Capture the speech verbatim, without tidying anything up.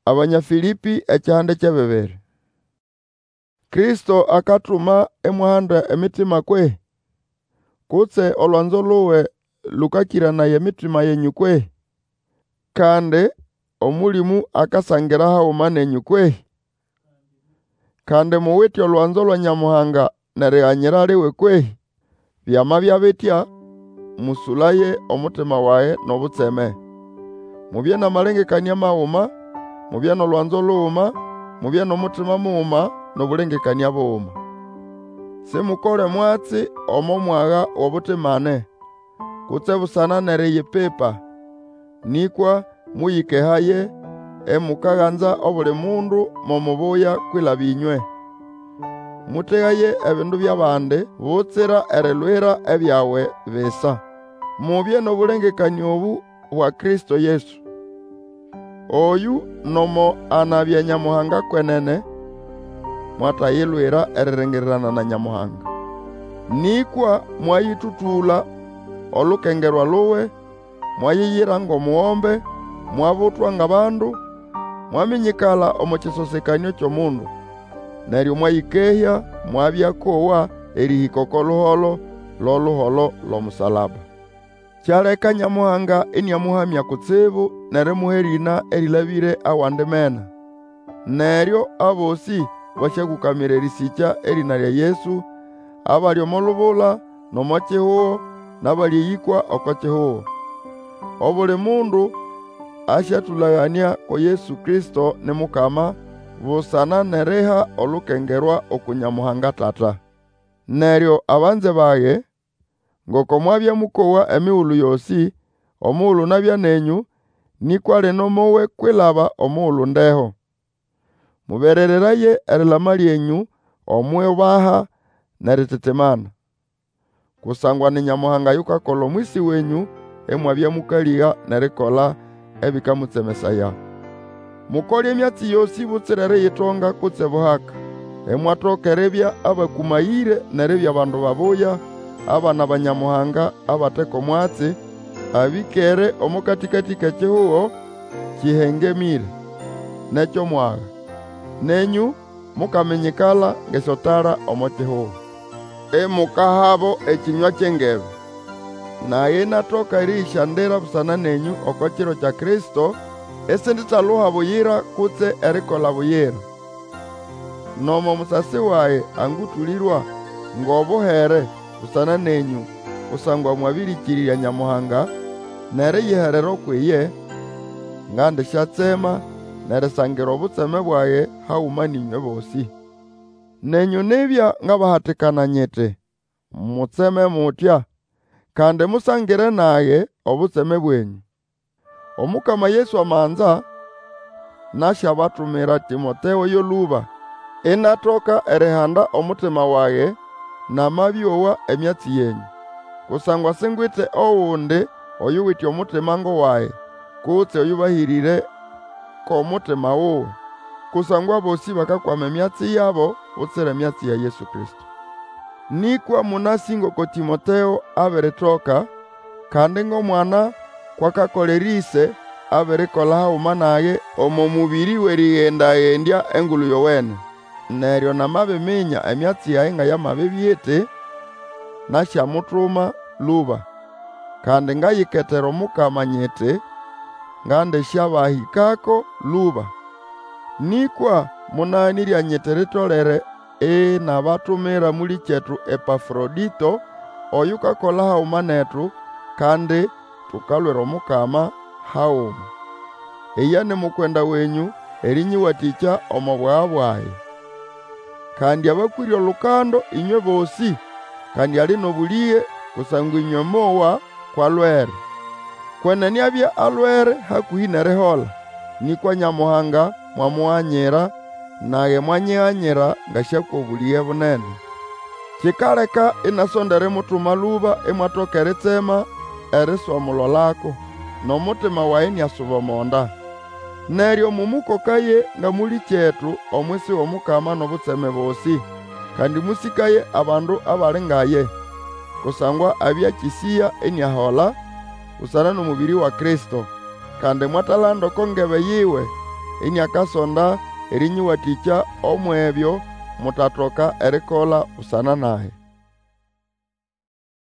Abanya Fĩlĩpĩ ekihande ky'ebibiri. Kristo akatuma imwahanda emitima kwehĩ? Kutse olwanzo luwe lũkakĩranaya emitima yenyũ kwehĩ? Kandi Omũlĩmũ akasangira haguma nenyũ kwehĩ? Kandi muwite olwanzo lwa Nyamuhanga n'eriganyira liwe kwehĩ? Byamabya bitya, mũsũlaye omutima wage n'obutseme. Mubye n'amalengekanĩa maguma, mubye n'olwanzo luguma, mubye n'omutima muguma, n'obũlengekanĩa buguma. Simukole mwatsi omo mwaga w'obutimane, kutse busana n'eriyipipa, nĩkwa mũyĩkehaye, imukaganza obuli mundu mo mubuya kwilaba ĩnywe. Mũtegaye ebindu by'abandi, butsira erilwira ebyawe bisa. Mubye n'obũlengekanĩa obũ bwa Kristo Yesu. Oyũ nomo anabya Nyamuhanga kwenene, mwatayilwira eriringirirana na Nyamuhanga. Nĩkwa mwayĩtũtũla olukengerwa luwe, mwayiyira ng'omugombe, mwabutwa ng'abandu, mwaminyikala omo kĩsosekanĩo ky'omundu. Neryo mwayĩkehya, mwabya kowa erĩhĩka oko luholo l'oluholo l'omusalaba. Kyaleka Nyamuhanga iniamũhamya kutsibu n'erimuha erĩna erĩlabĩre awandi mena. Neryo abosĩ basyakũkamira erĩsĩkya erĩna lya Yesu, abali omo lubula, n'omo kihugo, n'abali eyĩkwa oko kihugo. Obuli mundu asyatũlaganĩa ko Yesu Kristo ni Mukama, busana n'eriha olukengerwa uku Nyamuhanga Tata. Neryo abanze bage, ngoko mwabya mũkowa emigulu yosĩ, omugulu nabya nenyũ, nĩkwa lino mowe kwilaba omugulu ndeho. Mũberereraye erilama lyenyũ omw'iubaha n'erititimana. Kusangwa ni Nyamuhanga yukakola omwisi wenyũ imwabya mũkalĩga n'erikola ebĩkamũtsemesaya. Mukole emyatsi yosĩ butsira eriyitonga kutse buhaka, imwatoka eribya abakũmayĩre n'eribya bandu babuya, abana ba Nyamuhanga abate ko mwatsi, abĩkere omo katĩkatĩ k'ekihugo kĩhengemĩre, n'eky'omwaga. Nenyũ mukaminyikala ng'esyotala omo kihugo. Imukahabo ekĩnywa ky'engebe. Nage inatoka erĩyĩsyandira busana nenyũ oko kiro kya Kristo, isinditaluha buyira kutse erikola buyira. Nomo musasi wage angũtũlĩrwa ng'obuhere busana nenyũ, kusangwa mwabĩrĩkĩrĩrya Nyamuhanga n'eriyiherera ukw'iye, ngandisyatsema n'erisangira obutseme bwage haguma n'ĩnywe bosĩ. Nenyũ nibya ngabahatikana nyiti, mutseme mutya, kandi musangire nage obutseme bwenyũ. Omukama Yesu amanza, nasyabatumira Tĩmoteo yo lũba, inatoka erihanda omutima wage, namabĩowa emyatsi yenyũ. Kusangwa singwite ogundi oyuwite omutima ng'owage, kutse oyũbahĩrĩre k'omutima wuwe. Kusangwa abosĩ bakakwama emyatsi yabo butsira emyatsi ya Yesu Kristo. Nĩkwa mũnasĩ ngoko Tĩmoteo abiritoka, kandi ng'omwana kw'akakolera ĩse, abirikola haguma nage omo mũbĩrĩ w'erĩgenda-gendya Engulu Yowene. Neryo namabiminya emyatsi yage nga yamabibya iti, nasyamutuma lũba. Kandi ngayiketera Omukama nyiti, ngandisyabahĩkako lũba. Nĩkwa mũnaganĩrya nyiti litolere inabatumira mũlĩkyetu Epafrodĩto, oyukakola haguma netu, kandi tukalwira Omukama haguma. Iye ni mukwenda wenyũ erĩnyĩwatĩkya omo bwaga bwage. Kandi abakwĩre olukando ĩnywe bosĩ, kandi ali n'obũlĩge kusangwa ĩnywe mowa kw'alwere. Kwenene abya alwere hakũhĩ n'erihola, nĩkwa Nyamuhanga mwamuganyira, nage mwanyiganyira ngasyakwa obũlĩge bunene. Kikaleka inasonda erimutuma lũba imwatoka eritsema eriswamulolako, n'omutima wage iniasuba omo nda. Neryo mũmũkokaye nga mũlĩkyetu omwisi w'Omukama n'obutseme bosĩ, kandi mũsĩkaye abandu abali nga ye. Kusangwa abya akĩsĩya iniahola, busana n'omũbĩrĩ wa Kristo. Kandi mwatalanda oko ngebe yiwe, iniakasonda erĩnyĩwatĩkya umw'ebyo mutatoka erikola busana nage.